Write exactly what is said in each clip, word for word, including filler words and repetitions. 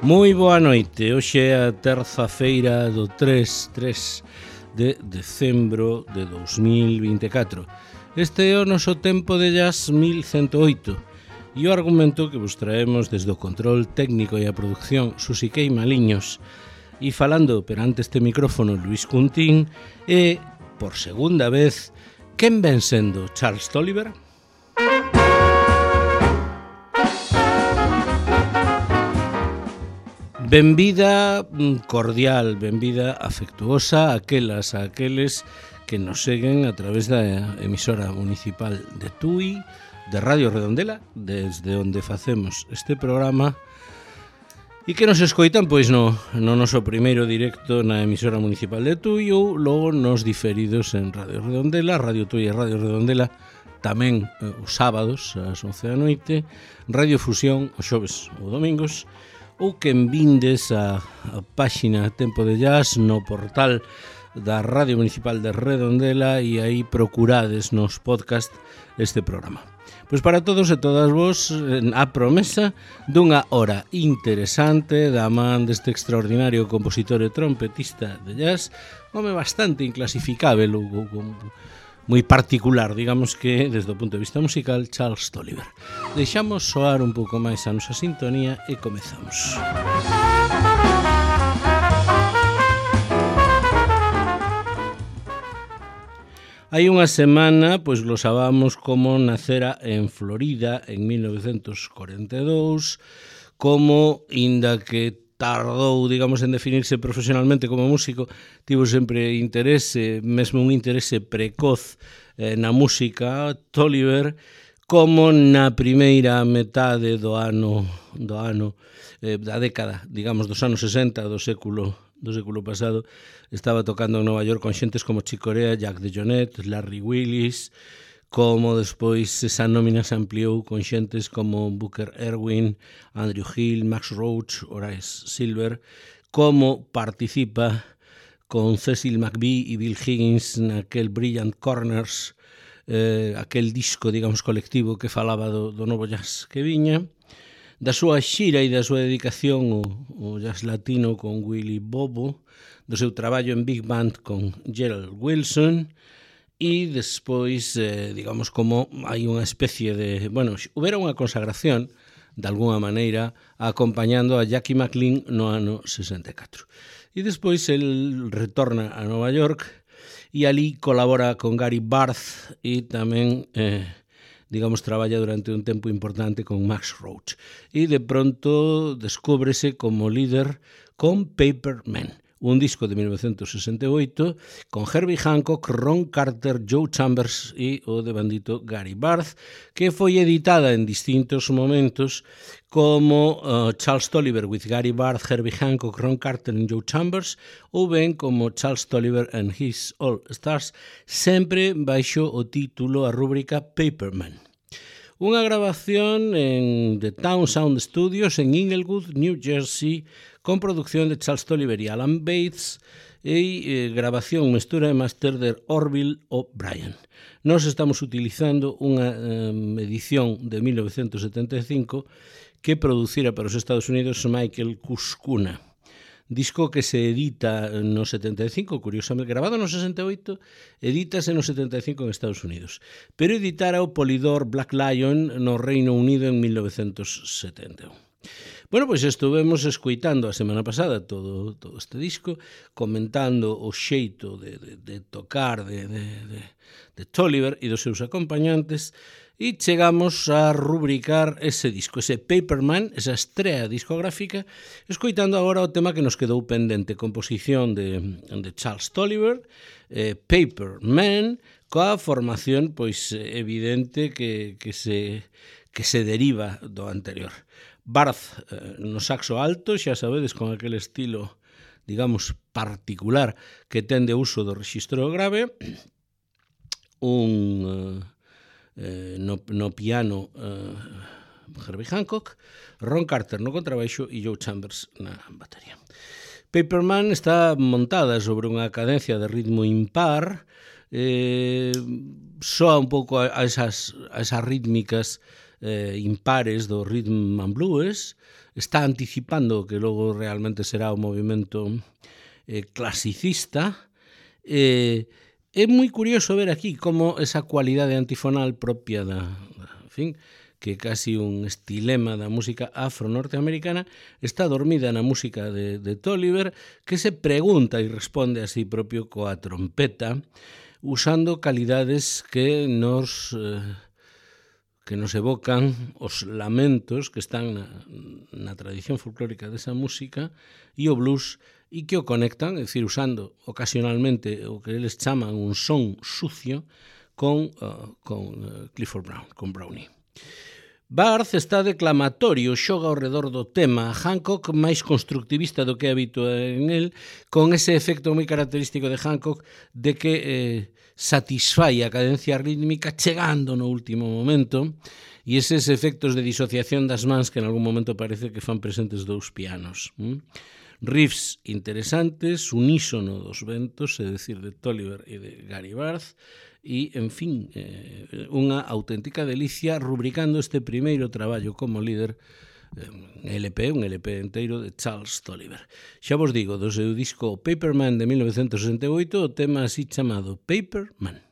Moi boa noite, hoxe é a terza feira do tres de decembro de dos mil vinte e catro. Este é o noso tempo de jazz mil ciento oito e o argumento que vos traemos desde o control técnico e a producción Susiquei Maliños e falando perante este micrófono Luis Cuntín e, por segunda vez, quen ven sendo Charles Tolliver? Benvida cordial, benvida afectuosa a aquelas, a aqueles que nos seguen a través da emisora municipal de Tui, de Radio Redondela, desde onde facemos este programa, e que nos escoitan pois no, no noso primeiro directo na emisora municipal de Tui ou logo nos diferidos en Radio Redondela, Radio Tui e Radio Redondela, tamén eh, os sábados ás once da noite, Radio Fusión os xoves ou domingos, ou que envindes a, a páxina Tempo de Jazz no portal da Radio Municipal de Redondela e aí procurades nos podcast este programa. Pois para todos e todas vos, a promesa dunha hora interesante da man deste extraordinario compositor e trompetista de jazz, home bastante inclasificável ou, ou, ou moi particular, digamos que desde o punto de vista musical, Charles Tolliver. Deixamos soar un pouco máis a nosa sintonía e comezamos. Hai unha semana, pois glosábamos como nacera en Florida en mil novecentos corenta e dous, como, inda que tardou, digamos, en definirse profesionalmente como músico, tivo sempre interese, mesmo un interese precoz eh, na música, Tolliver, como na primeira metade do ano, do ano eh, da década, digamos, dos anos sesenta do século do século pasado, estaba tocando en Nova York con xentes como Chick Corea, Jack DeJohnette, Larry Willis, como despois esa nómina se ampliou con xentes como Booker Erwin, Andrew Hill, Max Roach, Horace Silver, como participa con Cecil McBee e Bill Higgins naquel Brilliant Corners, eh, aquel disco, digamos, colectivo que falaba do, do novo jazz que viña, da súa xira e da súa dedicación ao, ao jazz latino con Willie Bobo, do seu traballo en Big Band con Gerald Wilson, e despois, eh, digamos, como hai unha especie de... Bueno, houbera unha consagración, de alguna maneira, acompañando a Jackie McLean no ano sesenta e catro. E despois el retorna a Nova York e ali colabora con Gary Barth e tamén, eh, digamos, traballa durante un tempo importante con Max Roach. E de pronto descúbrese como líder con Paper Man, un disco de mil novecentos sesenta e oito con Herbie Hancock, Ron Carter, Joe Chambers e o devandito Gary Barth, que foi editada en distintos momentos como uh, Charles Tolliver with Gary Barth, Herbie Hancock, Ron Carter e Joe Chambers, ou ben como Charles Tolliver and His All Stars, sempre baixo o título, a rúbrica Paperman. Unha grabación en The Town Sound Studios en Inglewood, New Jersey, con producción de Charles Tolliver e Alan Bates e eh, grabación, mestura e máster de Orville O'Brien. Nós estamos utilizando unha eh, edición de mil novecentos setenta e cinco que producira para os Estados Unidos Michael Kuskuna. Disco que se edita no setenta e cinco, curiosamente, grabado no sesenta e oito, edítase no setenta e cinco en Estados Unidos, pero editara o Polydor Black Lion no Reino Unido en mil novecentos setenta e un. Bueno, pois estuvemos escoitando a semana pasada todo, todo este disco, comentando o xeito de, de, de tocar de, de, de, de Tolliver e dos seus acompañantes, e chegamos a rubricar ese disco, ese Paperman, esa estrea discográfica, escoitando agora o tema que nos quedou pendente, composición de, de Charles Tolliver, eh, Paperman, coa formación pois evidente que, que, se, que se deriva do anterior. Barth eh, no saxo alto, xa sabedes, con aquel estilo, digamos, particular que ten de uso do rexistro grave, un... Eh, Eh, no, no piano eh, Herbie Hancock, Ron Carter no contrabaixo e Joe Chambers na batería. Paperman está montada sobre unha cadencia de ritmo impar, eh, soa un pouco a esas, a esas rítmicas eh, impares do rhythm and blues, está anticipando o que logo realmente será o movimento eh, clasicista. Eh, é moi curioso ver aquí como esa cualidade antifonal propia da, da en fin, que é casi un estilema da música afro-norteamericana, está dormida na música de, de Tolliver, que se pregunta e responde a sí propio coa trompeta, usando calidades que nos, eh, que nos evocan os lamentos que están na, na tradición folclórica desa música e o blues, e que o conectan, é dicir, usando ocasionalmente o que eles chaman un son sucio con, uh, con uh, Clifford Brown, con Brownie. Barth está declamatorio, xoga ao redor do tema, Hancock máis constructivista do que é habitual en el, con ese efecto moi característico de Hancock de que eh, satisfai a cadencia rítmica chegando no último momento, e eses efectos de disociación das mans que en algún momento parece que fan presentes dous pianos. ¿Mm? Riffs interesantes, unísono dos ventos, é dicir, de Tolliver e de Gary Barth, e, en fin, eh, unha auténtica delicia rubricando este primeiro traballo como líder, eh, L P, un L P enteiro de Charles Tolliver. Xa vos digo, do seu disco Paperman de mil novecentos sesenta e oito, o tema así chamado Paperman.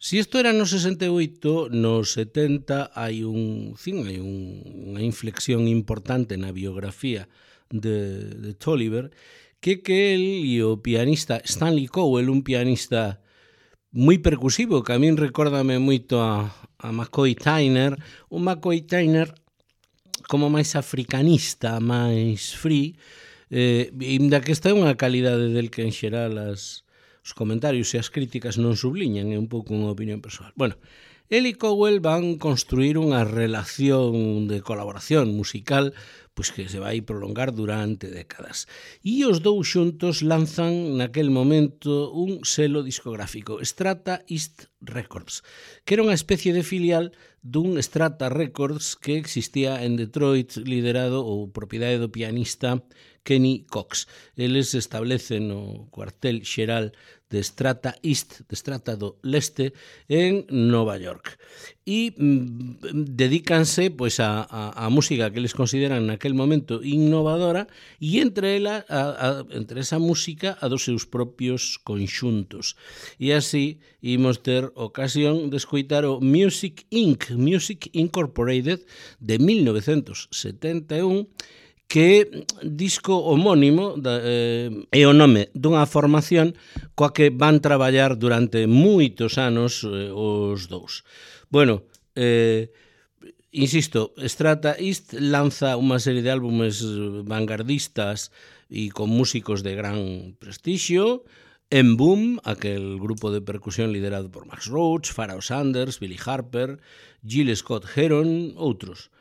Si isto era no sesenta e oito, no setenta hai un, fin, hai un, unha inflexión importante na biografía de, de Tolliver, que que el e o pianista Stanley Cowell, un pianista moi percusivo, que a min recórdame moito a, a McCoy Tyner, o McCoy Tyner como máis africanista, máis free, eh, inda que esta é unha calidade del que en xeral as, os comentarios e as críticas non subliñan, é un pouco unha opinión persoal. Bueno, el e Cowell van construir unha relación de colaboración musical pois que se vai prolongar durante décadas. E os dous xuntos lanzan naquel momento un selo discográfico, Strata East Records, que era unha especie de filial dun Strata Records que existía en Detroit, liderado ou propiedade do pianista Kenny Cox. Eles establecen o cuartel xeral de Strata East, de Strata do Leste, en Nova York. E mm, dedícanse pois, a, a, a música que eles consideran naquel momento innovadora e entre ela, a, a, entre esa música a dos seus propios conxuntos. E así imos ter ocasión de escoitar o Music incorporated, Music Incorporated de mil novecentos setenta e un, que disco homónimo da, eh, é o nome dunha formación coa que van traballar durante moitos anos eh, os dous. Bueno, eh, insisto, Strata East lanza unha serie de álbumes vanguardistas e con músicos de gran prestixio. En Boom, aquel grupo de percusión liderado por Max Roach, Pharoah Sanders, Billy Harper, Gil Scott-Heron, outros.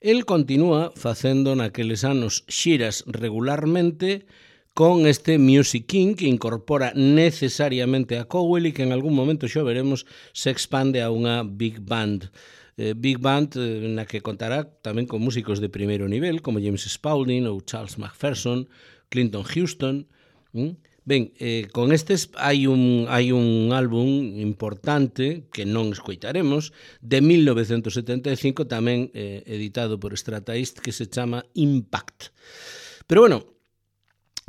El continúa facendo naqueles anos xiras regularmente con este Music Incorporated que incorpora necesariamente a Cowell e que en algún momento xa veremos se expande a unha big band. Eh, big band eh, na que contará tamén con músicos de primeiro nivel como James Spaulding ou Charles McPherson, Clinton Houston. ¿Mm? Ben, eh, con estes hai un, hai un álbum importante que non escoitaremos de mil novecentos setenta e cinco tamén eh, editado por Strata East que se chama Impact. Pero bueno,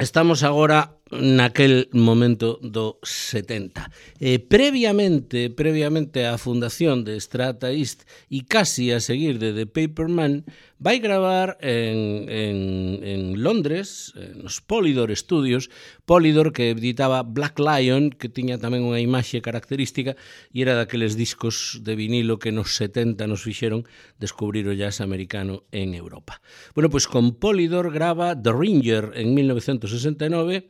estamos agora naquel momento do setenta. Eh, previamente, previamente á fundación de Strata East e casi a seguir de The Paperman, vai gravar en, en, en Londres, nos Polydor Studios, Polydor que editaba Black Lion, que tiña tamén unha imaxe característica e era daqueles discos de vinilo que nos setenta nos fixeron descubrir o jazz americano en Europa. Bueno, pois con Polydor grava The Ringer en mil novecentos sesenta e nove,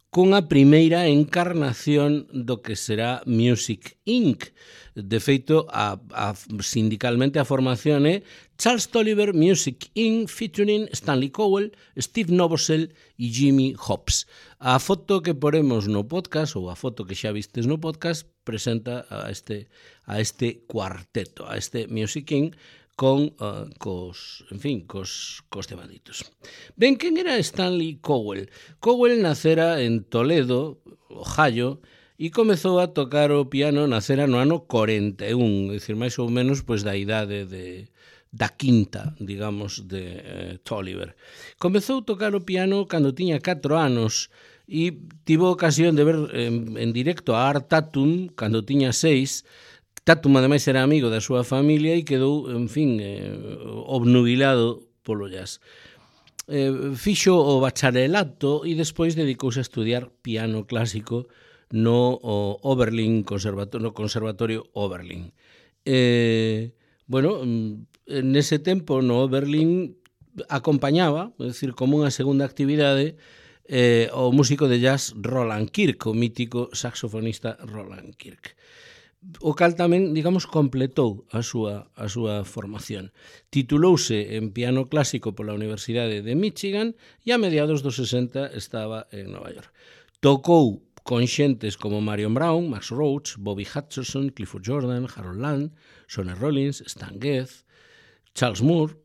cunha primeira encarnación do que será Music incorporated. De feito, a, a, sindicalmente a formación é Charles Tolliver Music incorporated featuring Stanley Cowell, Steve Novosel e Jimmy Hobbs. A foto que poremos no podcast, ou a foto que xa vistes no podcast, presenta a este, a este cuarteto, a este Music incorporated, con, uh, cos, en fin, cos, cos temaditos. Ben, quen era Stanley Cowell? Cowell nacera en Toledo, Ohio, e comezou a tocar o piano nacera no ano corenta e un, é dicir, máis ou menos pois, da idade de, da quinta, digamos, de eh, Tolliver. Comezou a tocar o piano cando tiña catro anos e tivo ocasión de ver en, en directo a Art Tatum cando tiña seis. Tatum, ademais, era amigo da súa familia e quedou, en fin, eh, obnubilado polo jazz. Eh, fixo o bacharelato e despois dedicouse a estudiar piano clásico no o Oberlin Conservatorio, no Conservatorio Oberlin. Eh, bueno, nese tempo no Oberlin acompañaba, é dicir, como unha segunda actividade, eh, o músico de jazz Roland Kirk, o mítico saxofonista Roland Kirk. O cal tamén, digamos, completou a súa, a súa formación. Titulouse en piano clásico pola Universidade de Michigan e a mediados dos sesenta estaba en Nova York. Tocou con xentes como Marion Brown, Max Roach, Bobby Hutcherson, Clifford Jordan, Harold Land, Sonny Rollins, Stan Getz, Charles Moore,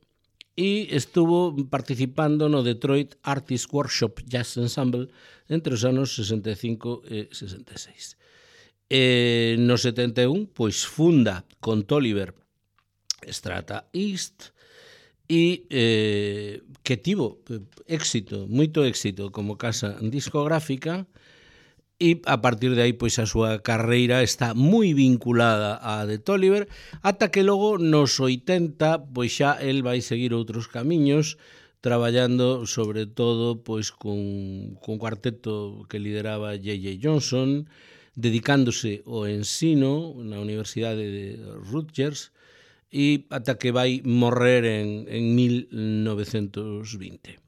e estuvo participando no Detroit Artist Workshop Jazz Ensemble entre os anos sesenta e cinco e sesenta e seis. Eh, no setenta e un, pois funda con Tolliver Strata East e eh, que tivo éxito, moito éxito como casa discográfica e a partir de aí pois a súa carreira está moi vinculada á de Tolliver, ata que logo nos oitenta pois xa el vai seguir outros camiños, traballando sobre todo pois cun, cun cuarteto que lideraba J J Johnson, dedicándose ao ensino na Universidade de Rutgers, e ata que vai morrer en, en mil novecentos vinte.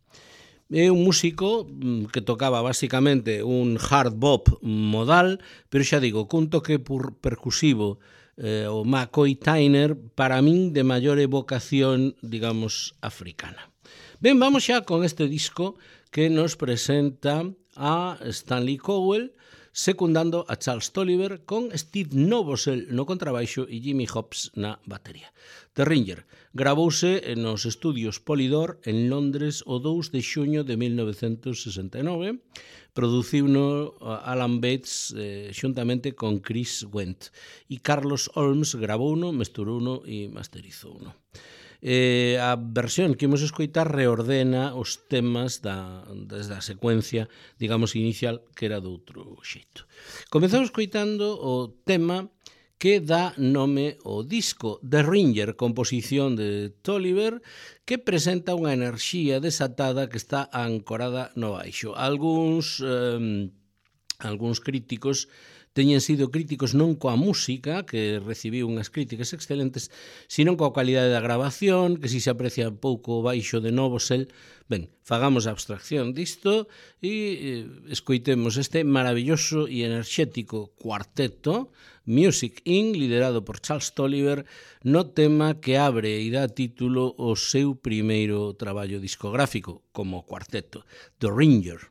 É un músico que tocaba basicamente un hard bop modal, pero xa digo, cun toque percusivo, eh, o McCoy Tyner, para min de maior evocación, digamos, africana. Ben, vamos xa con este disco que nos presenta a Stanley Cowell, secundando a Charles Tolliver con Steve Novosel no contrabaixo e Jimmy Hobbs na batería. The Ringer gravouse nos estudios Polydor en Londres o dous de xuño de mil novecentos sesenta e nove, produciuno Alan Bates eh, xuntamente con Chris Wendt, e Carlos Holmes gravouno, mesturouno e masterizouno. Eh, a versión que imos escoitar reordena os temas da, desde a secuencia, digamos, inicial, que era de outro xeito. Comezamos escoitando o tema que dá nome ao disco, The Ringer, composición de Tolliver, que presenta unha enerxía desatada que está ancorada no baixo. Alguns, eh, alguns críticos teñen sido críticos non coa música, que recibiu unhas críticas excelentes, sino coa calidade da grabación, que si se aprecia pouco o baixo de Novosel. Ben, fagamos a abstracción disto e escoitemos este maravilloso e enerxético cuarteto, Music incorporated, liderado por Charles Tolliver, no tema que abre e dá título ao seu primeiro traballo discográfico como cuarteto, The Ringer.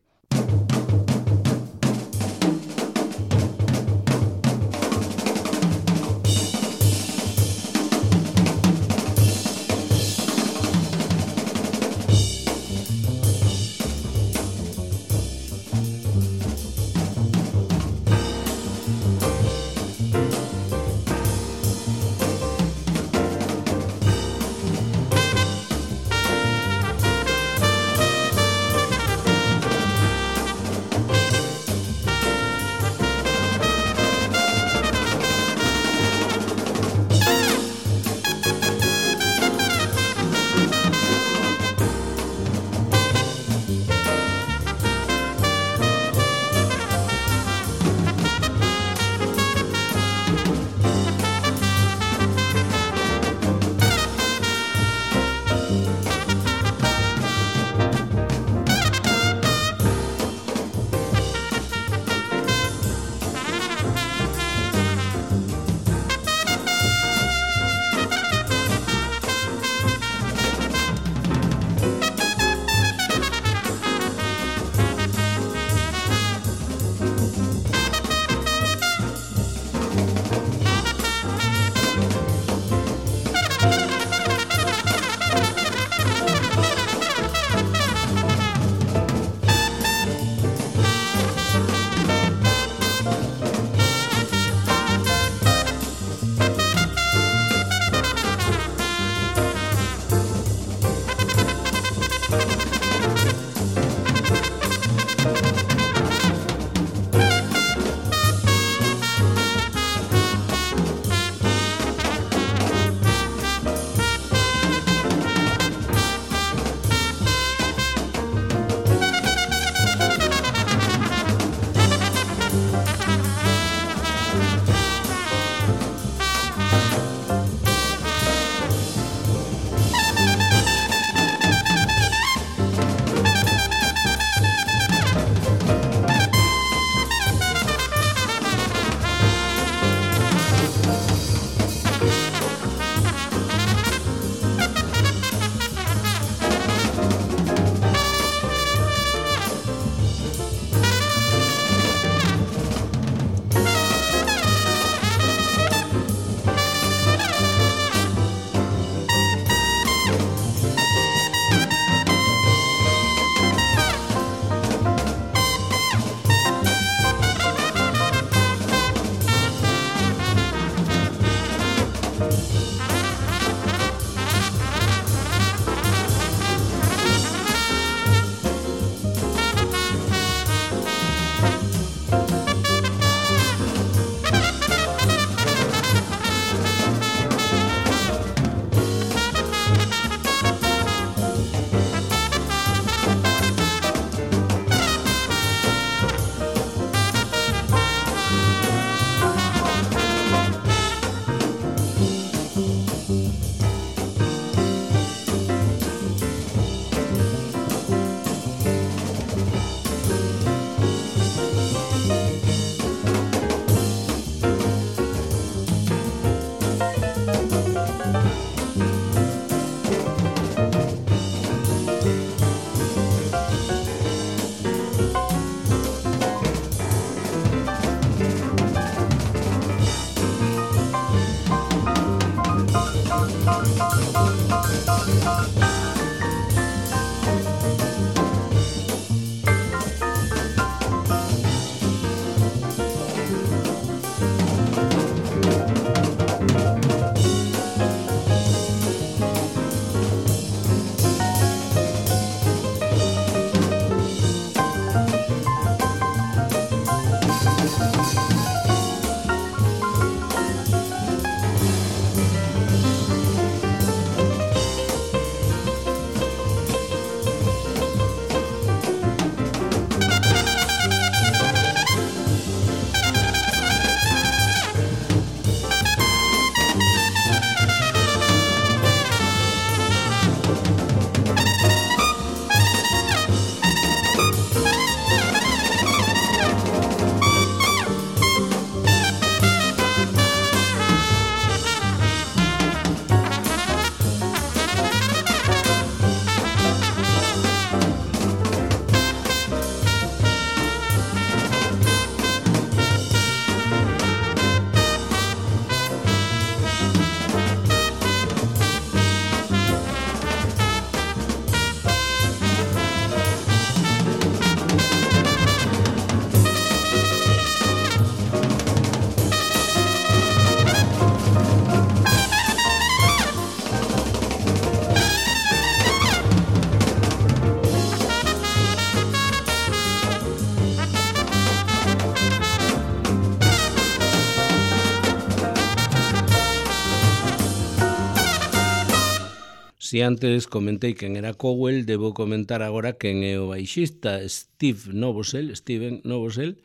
Si antes comentei quen era Cowell, debo comentar agora quen é o baixista Steve Novosel, Steven Novosel,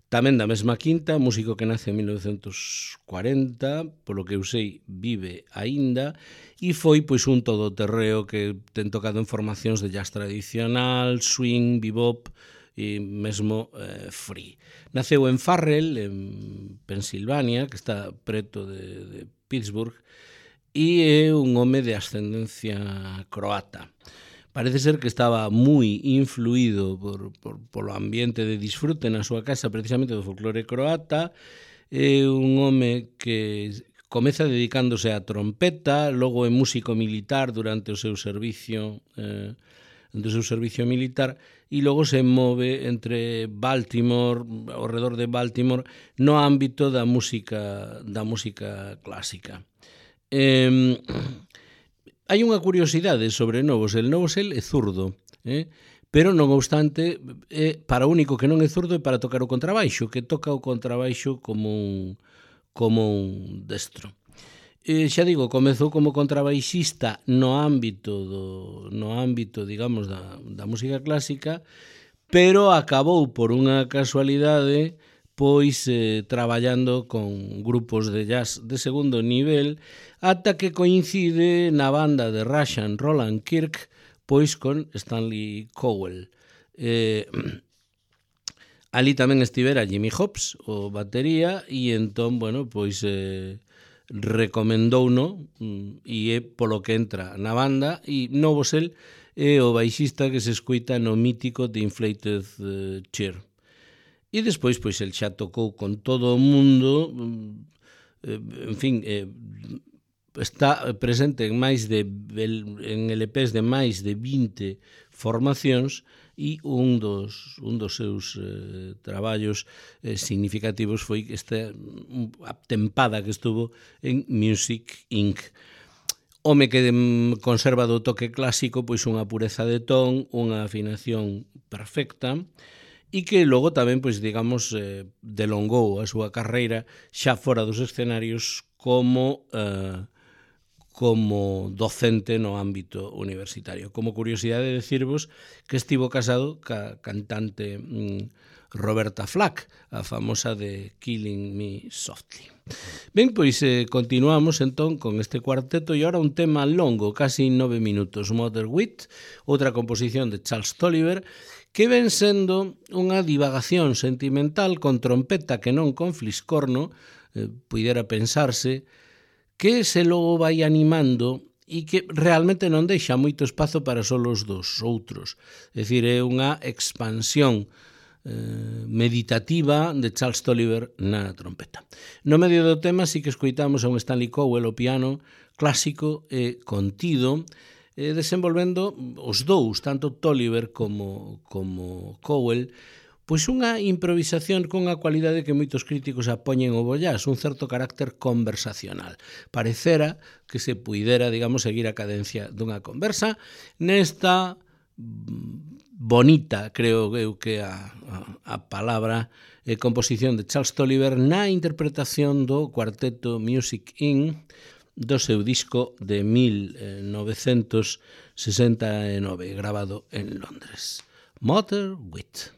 tamén da mesma quinta, músico que nace en mil novecentos cuarenta, polo que eu sei vive aínda, e foi pois un todoterreo que ten tocado en formacións de jazz tradicional, swing, bebop e mesmo eh, free. Naceu en Farrell, en Pensilvania, que está preto de, de Pittsburgh, e é un home de ascendencia croata. Parece ser que estaba moi influído por, por, polo ambiente de disfrute na súa casa, precisamente do folclore croata. É un home que comeza dedicándose á trompeta, logo é músico militar durante o seu servicio eh, durante o seu servicio militar, e logo se move entre Baltimore, ao redor de Baltimore, no ámbito da música, da música clásica. Eh, hai unha curiosidade sobre Novosel. Novosel é zurdo, eh? pero non obstante, é, para o único que non é zurdo é para tocar o contrabaixo, que toca o contrabaixo como un, como un destro. Eh, xa digo, comezou como contrabaixista no ámbito do, no ámbito, digamos, da, da música clásica, pero acabou por unha casualidade pois eh, traballando con grupos de jazz de segundo nivel, ata que coincide na banda de Russian Roland Kirk pois con Stanley Cowell. Eh, ali tamén estivera Jimmy Hobbs, o batería, e entón, bueno, pois eh, recomendouno e é polo que entra na banda, e Novosel é o baixista que se escoita no mítico The Inflated uh, Chair. E despois, pois, el xa tocou con todo o mundo, en fin, eh, está presente en máis de en L Pes de máis de vinte formacións, e un dos, un dos seus eh, traballos eh, significativos foi esta a tempada que estuvo en Music incorporated. Home que conserva do toque clásico pois unha pureza de ton, unha afinación perfecta, e que logo tamén, pois, digamos, eh, delongou a súa carreira xa fora dos escenarios como eh, como docente no ámbito universitario. Como curiosidade decirvos que estivo casado ca cantante mm, Roberta Flack, a famosa de Killing Me Softly. Ben, pois eh, continuamos entón con este cuarteto, e agora un tema longo, casi nove minutos, Mother Wit, outra composición de Charles Tolliver, que ven sendo unha divagación sentimental con trompeta que non con fliscorno, eh, puidera pensarse, que se logo vai animando e que realmente non deixa moito espazo para só os dos outros. É dicir, é unha expansión eh, meditativa de Charles Tolliver na trompeta. No medio do tema sí que escoitamos a un Stanley Cowell ao piano clásico e contido, eh, desenvolvendo os dous, tanto Tolliver como, como Cowell, pois unha improvisación con a cualidade que moitos críticos apoñen ao bollás, un certo carácter conversacional. Parecera que se puidera, digamos, seguir a cadencia dunha conversa nesta bonita, creo eu que a, a, a palabra, eh, composición de Charles Tolliver na interpretación do cuarteto Music incorporated do seu disco de mil novecentos sesenta e nove, grabado en Londres. Mother Wit.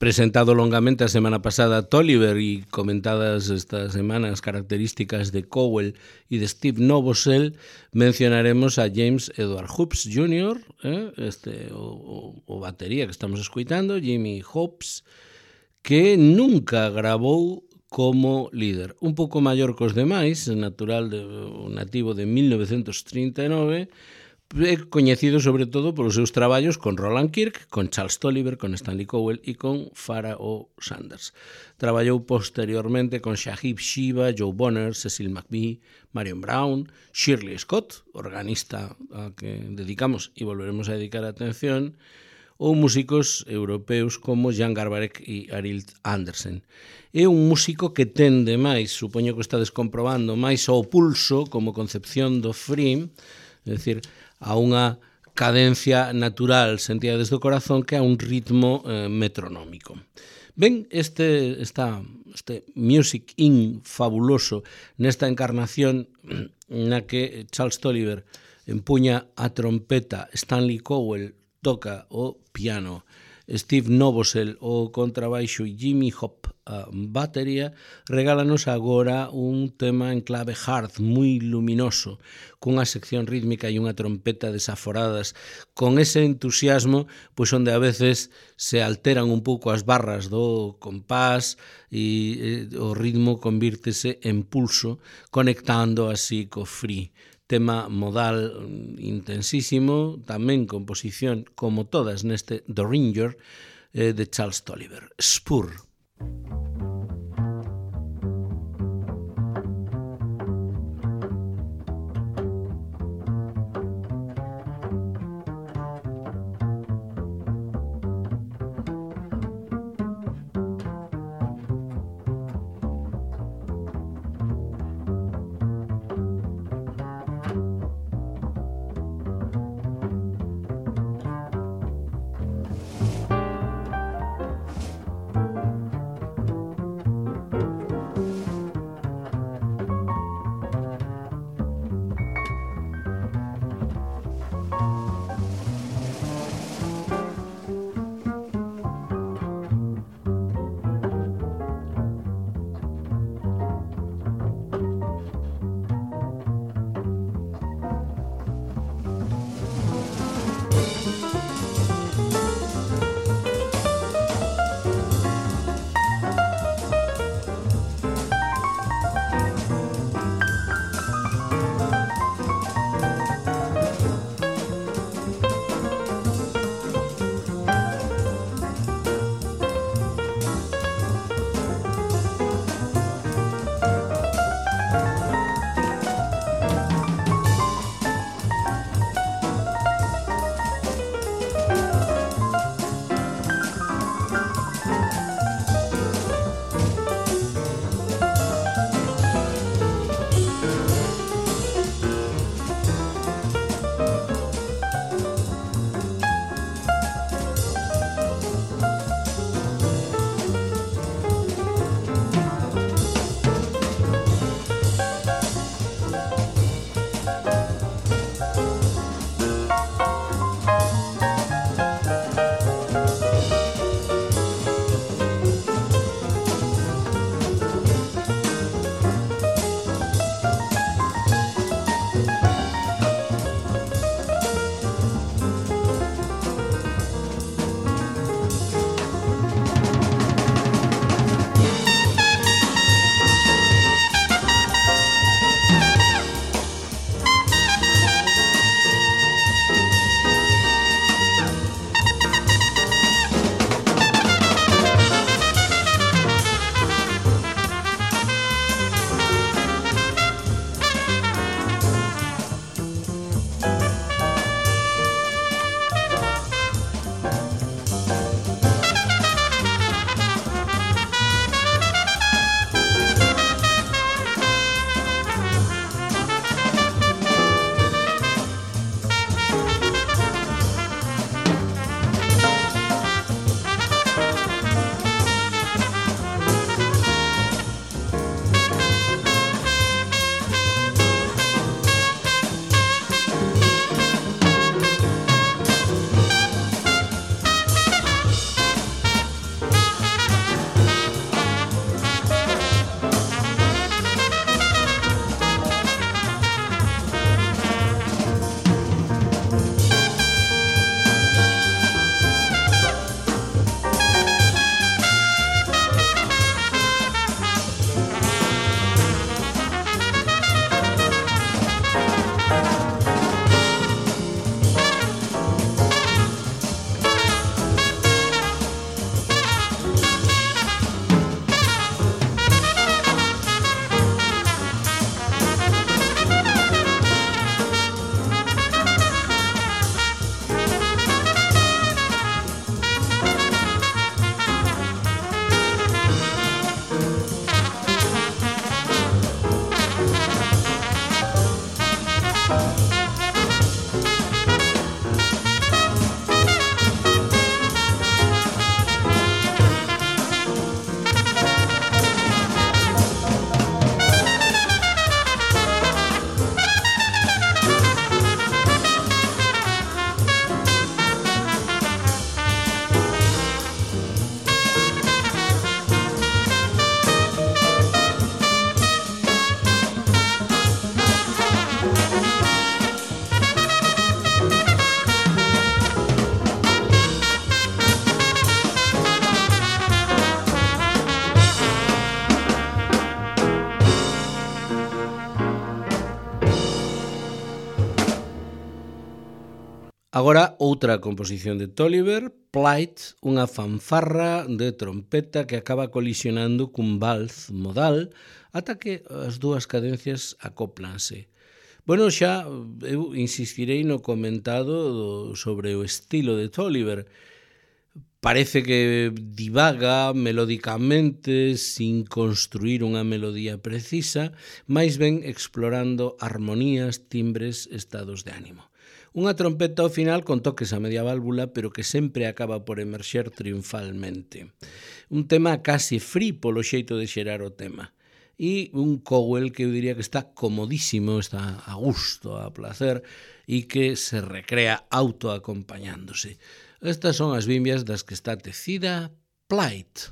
presentado longamente a semana pasada Tolliver y comentadas esta semana as características de Cowell y de Steve Novosel, mencionaremos a James Edward Hobbs júnior, eh, este, o, o, o batería que estamos escuitando, Jimmy Hobbs, que nunca grabou como líder. Un pouco maior que os demais, natural de, nativo de mil novecentos trinta e nove, é coñecido sobre todo polos seus traballos con Roland Kirk, con Charles Tolliver, con Stanley Cowell e con Pharaoh Sanders. Traballou posteriormente con Shahib Shiva, Joe Bonner, Cecil McBee, Marion Brown, Shirley Scott, organista a que dedicamos e volveremos a dedicar atención, ou músicos europeos como Jan Garbarek e Arild Andersen. É un músico que tende máis, supoño que está descomprobando, máis ao pulso como concepción do free, é dicir, a unha cadencia natural sentida desde o corazón que a un ritmo eh, metronómico. Ben, este, esta, este Music In fabuloso nesta encarnación na que Charles Tolliver empuña a trompeta, Stanley Cowell toca o piano, Steve Novosel o contrabaixo e Jimmy Hop a batería, regálanos agora un tema en clave hard, moi luminoso, cunha sección rítmica e unha trompeta desaforadas, con ese entusiasmo, pois onde a veces se alteran un pouco as barras do compás e eh, o ritmo convírtese en pulso, conectando así co free. Tema modal intensísimo, tamén composición como todas neste The Ringer eh, de Charles Tolliver. Spur. Agora, outra composición de Tolliver, Plight, unha fanfarra de trompeta que acaba colisionando cun vals modal ata que as dúas cadencias acóplanse. Bueno, xa eu insistirei no comentado do, sobre o estilo de Tolliver. Parece que divaga melódicamente sin construir unha melodía precisa, máis ben explorando armonías, timbres, estados de ánimo. Unha trompeta ao final con toques a media válvula, pero que sempre acaba por emerxer triunfalmente. Un tema case free polo xeito de xerar o tema. E un Cowell que eu diría que está comodísimo, está a gusto, a placer, e que se recrea autoacompañándose. Estas son as bimbias das que está tecida Plight.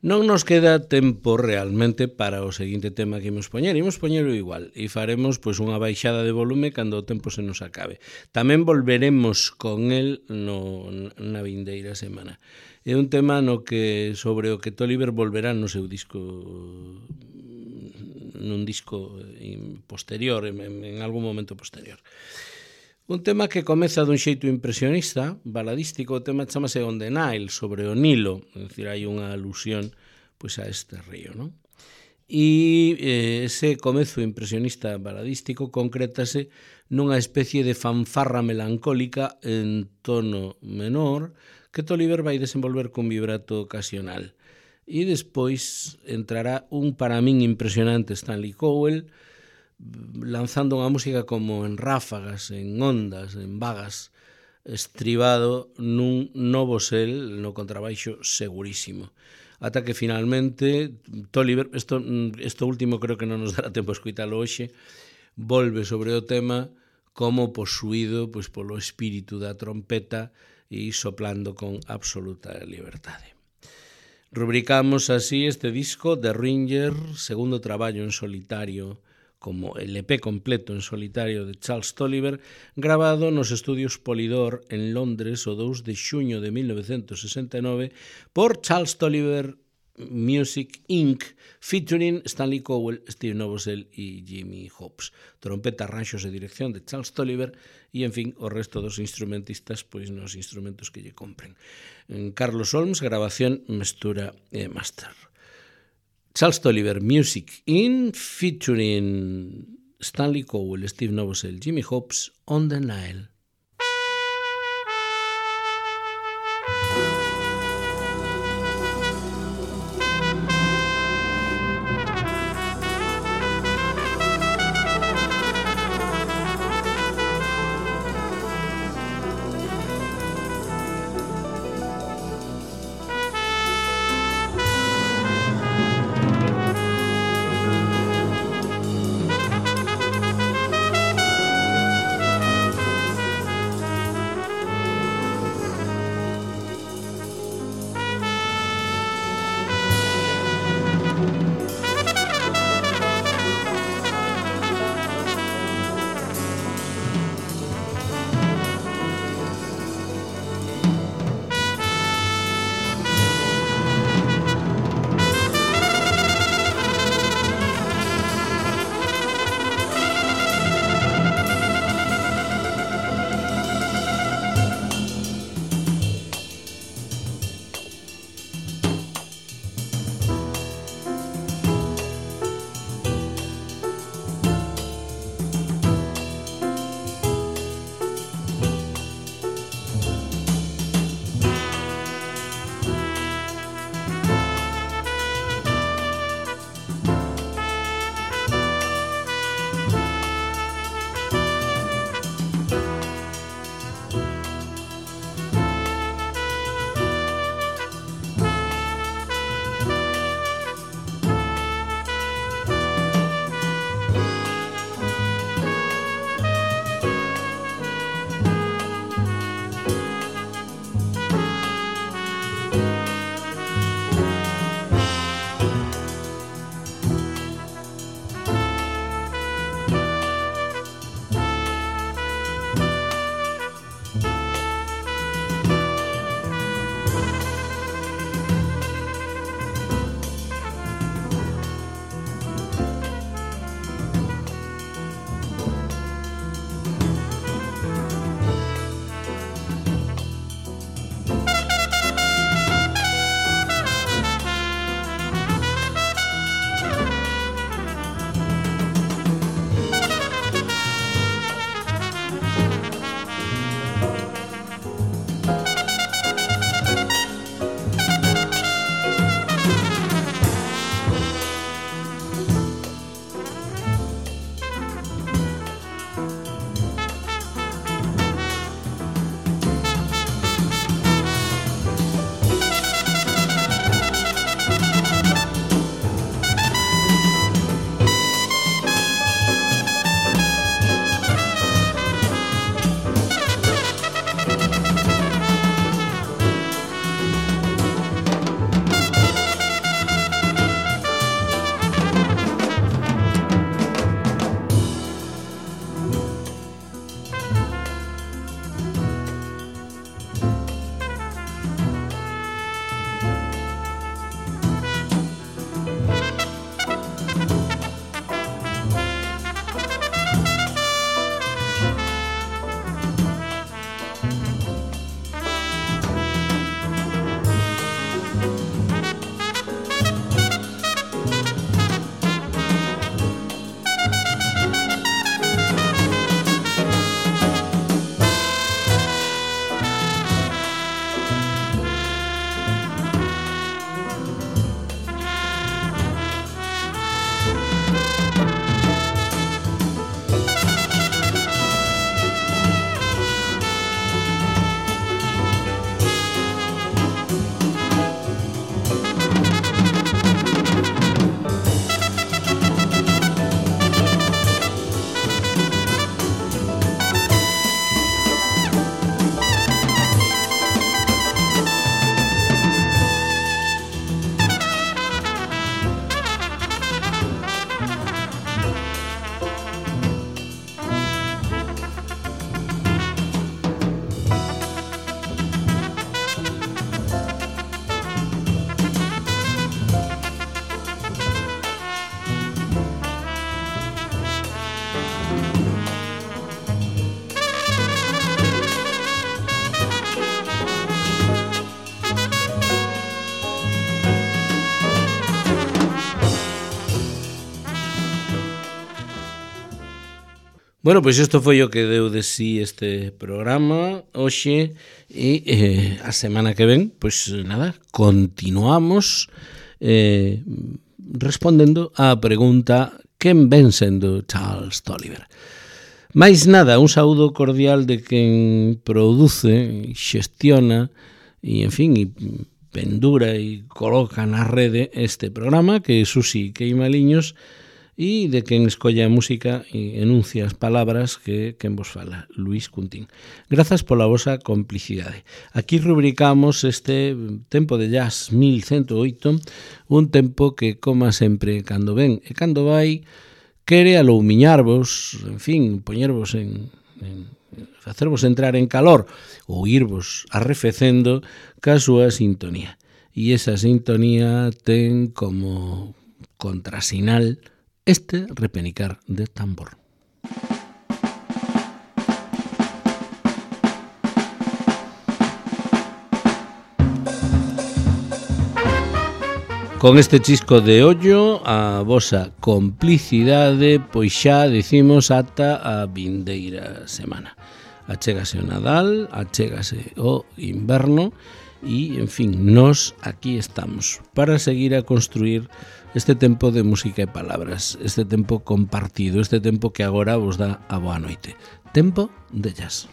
Non nos queda tempo realmente para o seguinte tema que imos poñer. Imos poñerlo igual e faremos pois unha baixada de volume cando o tempo se nos acabe. Tamén volveremos con el no, na vindeira semana. É un tema no que sobre o que Toliver volverá no seu disco, nun disco posterior, en, en algún momento posterior. Un tema que comeza dun xeito impresionista, baladístico, o tema chamase On the Nile, sobre o Nilo, é dicir, hai unha alusión pois, a este río, non? E eh, ese comezo impresionista baladístico concrétase nunha especie de fanfarra melancólica en tono menor que Toliver vai desenvolver cun vibrato ocasional. E despois entrará un para min impresionante Stanley Cowell, lanzando unha música como en ráfagas, en ondas, en vagas, estribado nun novo sel no contrabaixo segurísimo. Ata que finalmente Toliver, isto, isto último creo que non nos dará tempo a escoitalo hoxe, volve sobre o tema como posuído pois, polo espírito da trompeta e soplando con absoluta liberdade. Rubricamos así este disco de Ringer, segundo traballo en solitario como el E P completo en solitario de Charles Toliver, grabado nos estudios Polydor en Londres o dous de xuño de mil novecentos sesenta e nove por Charles Toliver Music incorporated, featuring Stanley Cowell, Steve Novosel e Jimmy Hobbs. Trompeta, arranxos e dirección de Charles Toliver e, en fin, o resto dos instrumentistas pois nos instrumentos que lle compren. En Carlos Olms, grabación, mestura e master. Charles Toliver Music in featuring Stanley Cowell, Steve Novosel, Jimmy Hobbs, On the Nile. Bueno, pois isto foi o que deu de sí este programa hoxe e eh, a semana que ven, pois nada, continuamos eh, respondendo á pregunta quen ven sendo Charles Tolliver. Mais nada, un saúdo cordial de quen produce, xestiona e, en fin, e pendura e coloca na rede este programa, que é Susi Queimaliños, e de quen escolle a música e enuncia as palabras que quen vos fala, Luís Cuntín. Grazas pola vosa complicidade. Aquí rubricamos este tempo de jazz mil ciento oito, un tempo que, como sempre, cando ven e cando vai, quere aloumiñarvos, en fin, poñervos en, en facervos entrar en calor ou irvos arrefecendo ca súa sintonía. E esa sintonía ten como contrasinal este repenicar de tambor. Con este chisco de ollo, a vosa complicidade, pois xa dicimos ata a vindeira semana. Achégase o Nadal, achégase o inverno e, en fin, nós aquí estamos para seguir a construir este tempo de música e palabras, este tempo compartido, este tempo que agora vos dá a boa noite. Tempo de jazz.